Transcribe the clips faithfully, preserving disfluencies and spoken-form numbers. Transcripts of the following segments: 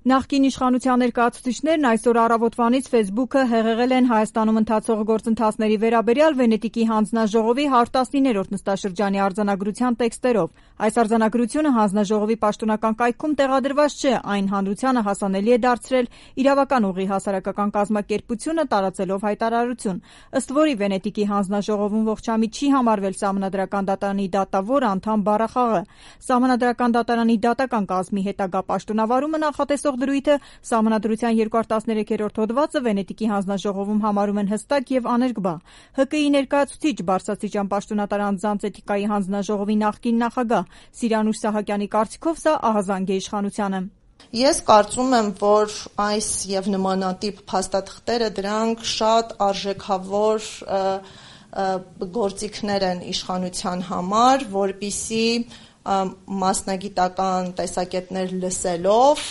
Նախկին իշխանության ներկայացուցիչներն այսօր առավոտվանից Facebook-ը հեղեղել են Հայաստանում ընթացող գործընթացների վերաբերյալ Վենետիկի հանձնաժողովի հարյուր տասնիններորդ նստաշրջանի արձանագրության տեքստերով։ Այս արձանագրությունը հանձնաժողովի պաշտոնական կայքում տեղադրված չէ, այն հանրությանը հասանելի է դարձրել իրավական ուղի հասարակական կազմակերպությունը տարածելով հայտարարություն, ըստ որի Վենետիկի հանձնաժողովում ողջամիտ չի համարվել Սահմանադրական դատարանի դատավոր անդամ բառախաղը։ Սահմանադրական դատարանի դատական կազմի հետագա պաշտոնավարումը նախատեսող դրույթը Սահմանադրության երկրորդ տասներեքերորդ հոդվածը Վենետիկի հանձնաժողովում համարում են հստակ եւ աներկբա։ ՀԿ-ի ներկայացուցիչ բարձրաստիճան պաշտոնատար անձանց էթիկայի հանձնաժողովի նախկին նախագահ Սիրանուշ Սահակյանի կարծիքով սա ահազանգ է իշխանությանը։ Ես կարծում եմ, որ այս եւ նմանատիպ փաստաթղթերը դրանք շատ արժեքավոր գործիքներ են իշխանության համար, որպիսի մասնագիտական տեսակետներ լսելով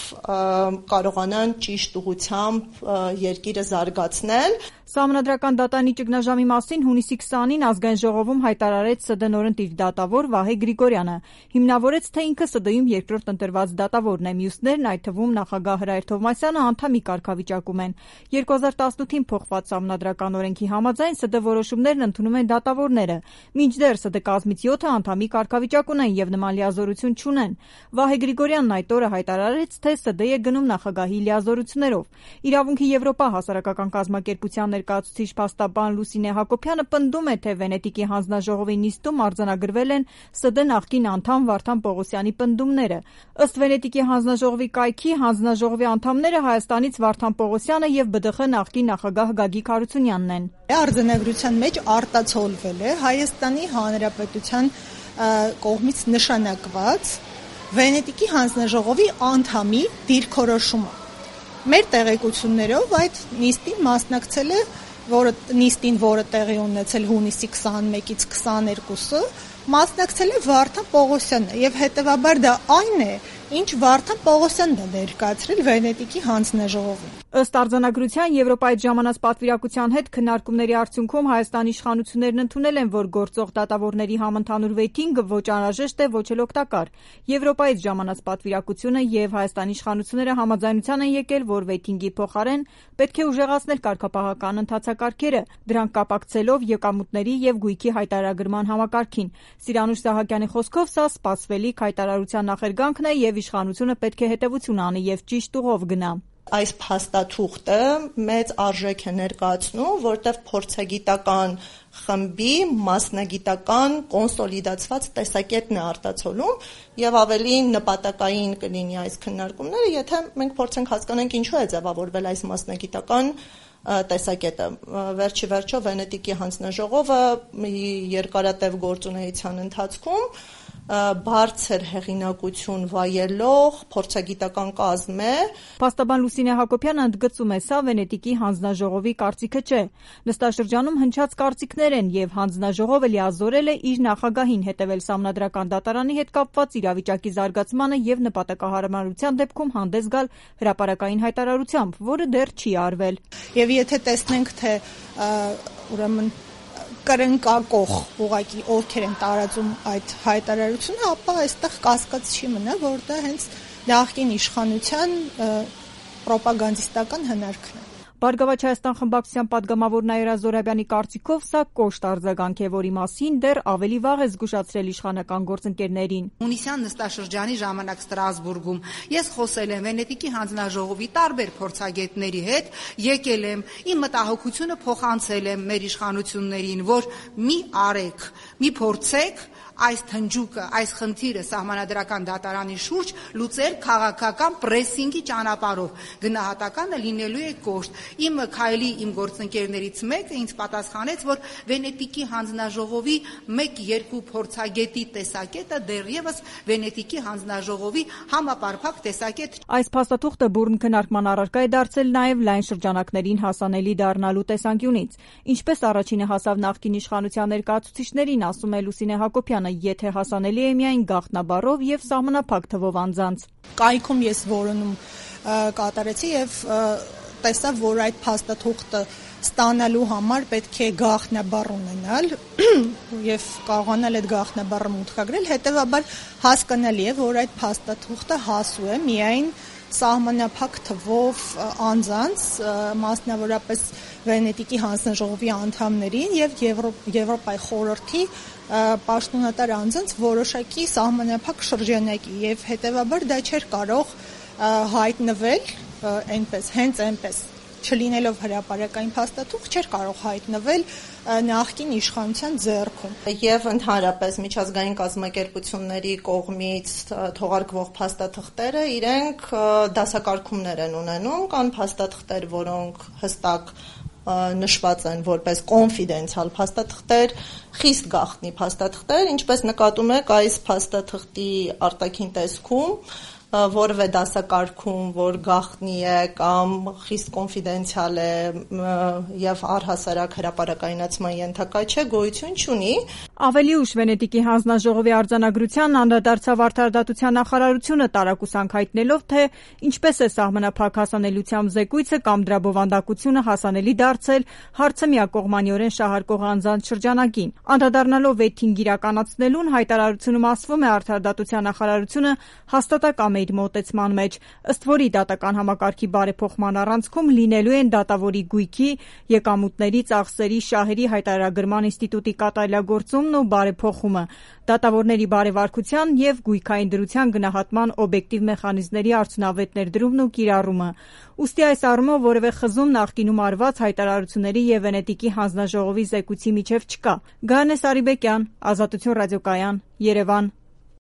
կարողանան ճիշտ ուղղությամբ երկիրը զարգացնել։ Սահմանադրական դատարանի ճգնաժամի մասին հունիսի քսանին Ազգային ժողովում հայտարարեց ՍԴ նորընտիր դատավոր Վահե Գրիգորյանը։ Հիմնավորեց, թե ինքը ՍԴ-ում երկրորդ ընտրված դատավորն է, մյուսներն, այդ թվում նախագահ Հրայր Թովմասյանը, անդամի կարգավիճակում են։ երկու հազար տասնութին փոխված Սահմանադրական օրենքի համաձայն ՍԴ որոշումներն ընդունում են դատավորները, մինչդեռ ՍԴ կազմից յոթը անդամի կարգավիճակ ունեն եւ նման լիազորություն չունեն։ Վահե Գրիգորյանն այդ օրը հայտարարեց, թե ՍԴ է գնում նախագահի լիազորություններով։ Իրավունքի Եվրոպա հասարակական կազմակերպության ներկայացուցիչ փաստաբան Լուսինե Հակոբյանը պնդում է, թե Վենետիկի հանձնաժողովի նիստում արձանագրվել են ՍԴ նախկին անդամ Վարդան Պողոսյանի պնդումները։ Ըստ Վենետիկի հանձնաժողովի կայքի հանձնաժողովի անդամները Հայաստանից Վարդան Պողոսյանը եւ ԲԴԽ նախկին նախագահ Գագիկ Հարությունյանն են։ Արձանագրության մեջ արտացոլվել է Հայաստանի Հանրապետության կողմից նշանակված Վենետիկի հանձնաժողովի անդամի դիրքորոշումը։ Մեր տեղեկություններով այդ նիստին մասնակցել է, որը նիստին, որը տեղի ունեցել հունիսի քսանմեկից քսաներկուսը, մասնակցել է Վարդան Պողոսյանը եւ հետեւաբար դա այն է, ինչ Վարդան Պողոսյանն է ներկայացրել Վենետիկի հանձնաժողովին։ Ըստ արձանագրության Եվրոպայից ժամանած պատվիրակության հետ քննարկումների արդյունքում Հայաստանի իշխանություններն ընդունել են, որ գործող դատավորների համընդհանուր վեյթինգը ոչ անհրաժեշտ է, ոչ էլ օգտակար։ Եվրոպայից ժամանած պատվիրակությունը եւ Հայաստանի իշխանությունները համաձայնության են եկել, որ վեյթինգի փոխարեն պետք է ուժեղացնել կարգապահական ընթացակարգերը, դրանք կապակցելով եկամուտների եւ գույքի հայտարարագրման համակարգին։ Սիրանուշ Սահակյանի խոսքով սա սպասվելիք հայտարարության նախերգանքն է եւ իշխանությունը պետք է հետեւություն անի եւ ճիշտ ուղով գնա։ Այս փաստաթուղթը մեծ արժեք է ներկայացնում, որտեղ փորձագիտական խմբի մասնագիտական կոնսոլիդացված տեսակետն է արտացոլում եւ ավելի նպատակային կլինի այս քննարկումները, եթե մենք փորձենք հասկանանք ինչու է ձևավորվել այս մասնագիտական տեսակետը։ Վերջի վերջո Վենետիկի հանձնաժողովը երկարատև գործունեության ընթացքում բարձր հեղինակություն վայելող փորձագիտական կազմ է։ Փաստաբան Լուսինե Հակոբյանը ընդգծում է, սա Վենետիկի հանձնաժողովի կարծիքը չէ։ Նստաշրջանում հնչած կարծիքներ են եւ հանձնաժողովը լիազորել է իր նախագահին հետեւել Սահմանադրական դատարանի հետ կապված իրավիճակի զարգացմանը եւ նպատակահարմարության դեպքում հանդես գալ հրապարակային հայտարարությամբ, որը դեռ չի արվել։ Եվ եթե տեսնենք, թե ուրեմն կրնկակող ուղղակի ովքեր են տարածում այդ հայտարարությունը, ապա այստեղ կասկած չի մնա, որ դա հենց նախկին իշխանության պրոպագանդիստական հնարքն է։ Բարգավաճ Հայաստան խմբակցության падգամավոր Նաիրա Զոհրաբյանի կարծիքով սա կոշտ արձագանք է, որի մասին դեռ ավելի վաղ է զգուշացրել իշխանական գործընկերներին։ Հունիսյան նստաշրջանի ժամանակ Ստրասբուրգում ես խոսել եմ Վենետիկի հանձնաժողովի տարբեր փորձագետների հետ, եկել եմ, իմ մտահոգությունը փոխանցել եմ մեր իշխանություններին, որ մի արեք, մի փորձեք այս թնջուկը, այս խնդիրը Սահմանադրական դատարանի շուրջ լուծել քաղաքական պրեսինգի ճանապարհով։ Գնահատականը լինելու է կոշտ։ Իմ քայլի իմ գործընկերներից մեկը ինձ պատասխանեց, որ Վենետիկի հանձնաժողովի մեկ-երկու փորձագետի տեսակետը դեռևս Վենետիկի հանձնաժողովի համապարփակ տեսակետ։ Այս փաստաթուղթը բուռն քննարկման առարկա է դարձել նաև լայն շրջանակներին հասանելի դառնալու տեսանկյունից։ Ինչպես առաջինը հասավ նախկին իշխանության ներկայացուցիչներին, ասում է Լուսինե Հակոբյանը, եթե հասանելի է միայն գաղտնաբառով եւ սահմանափակ թվով անձանց։ Կայքում ես որոնում կատարեցի եւ տեսա, որ այդ փաստաթուղթը ստանալու համար պետք է գաղտնաբառ ունենալ եւ կարողանալ այդ գաղտնաբառը մուտքագրել, հետեւաբար հասկանալի է, որ այդ փաստաթուղթը հասու է միայն սահմանափակ թվով անձանց, մասնավորապես Վենետիկի հանձնաժողովի անդամներին եւ Եվրոպայի խորհրդի պաշտոնատար անձանց որոշակի սահմանափակ շրջանակի եւ հետեւաբար դա չէր կարող հայտնվել այնպես, հենց այնպես չլինելով հրապարակային փաստաթուղթ չէր կարող հայտնվել նախկին իշխանության ձեռքում եւ ընդհանրապես միջազգային կազմակերպությունների կողմից թողարկվող փաստաթղթերը իրենք դասակարգումներ են ունենում, կան փաստաթղթեր, որոնք հստակ նշված են որպես կոնֆիդենցիալ փաստաթղթեր, խիստ գաղտնի փաստաթղթեր, ինչպես նկատում եք այս փաստաթղթի արտաքին տեսքում որևէ դասակարգում, որ գաղտնի է կամ խիստ կոնֆիդենցիալ է եւ առհասարակ հրապարակայնացման ենթակա չէ, գոյություն չունի։ Ավելի ուշ Վենետիկի հանձնաժողովի արձանագրության անդրադարձավ Արդարադատության նախարարությունը տարակուսանք հայտնելով, թե ինչպես է սահմանափակ հասանելիությամբ զեկույցը կամ դրա բովանդակությունը հասանելի դարձել հարցը միակողմանիորեն շահարկող անձանց շրջանակին։ Անդրադառնալով վեթինգ իրականացնելուն հայտարարությունում ասվում է Արդարադատության նախարարությունը հաստատակամ իր մոտեցման մեջ, ըստ որի դատական համակարգի բարեփոխման առանցքում լինելու են դատավորի գույքի, եկամուտների, ծախսերի, շահերի հայտարարագրման ինստիտուտի կատարելագործումն ու բարեփոխումը, դատավորների բարեվարկության եւ գույքային դրության գնահատման օբյեկտիվ մեխանիզմների արդյունավետ ներդրումն ու կիրառումը։ Ուստի այս առումով որևէ խզում նախկինում արված հայտարարությունների եւ Վենետիկի հանձնաժողովի զեկույցի միջև չկա։ Գայանե Սարիբեկյան, Ազատություն ռադիոկայան, Երևան։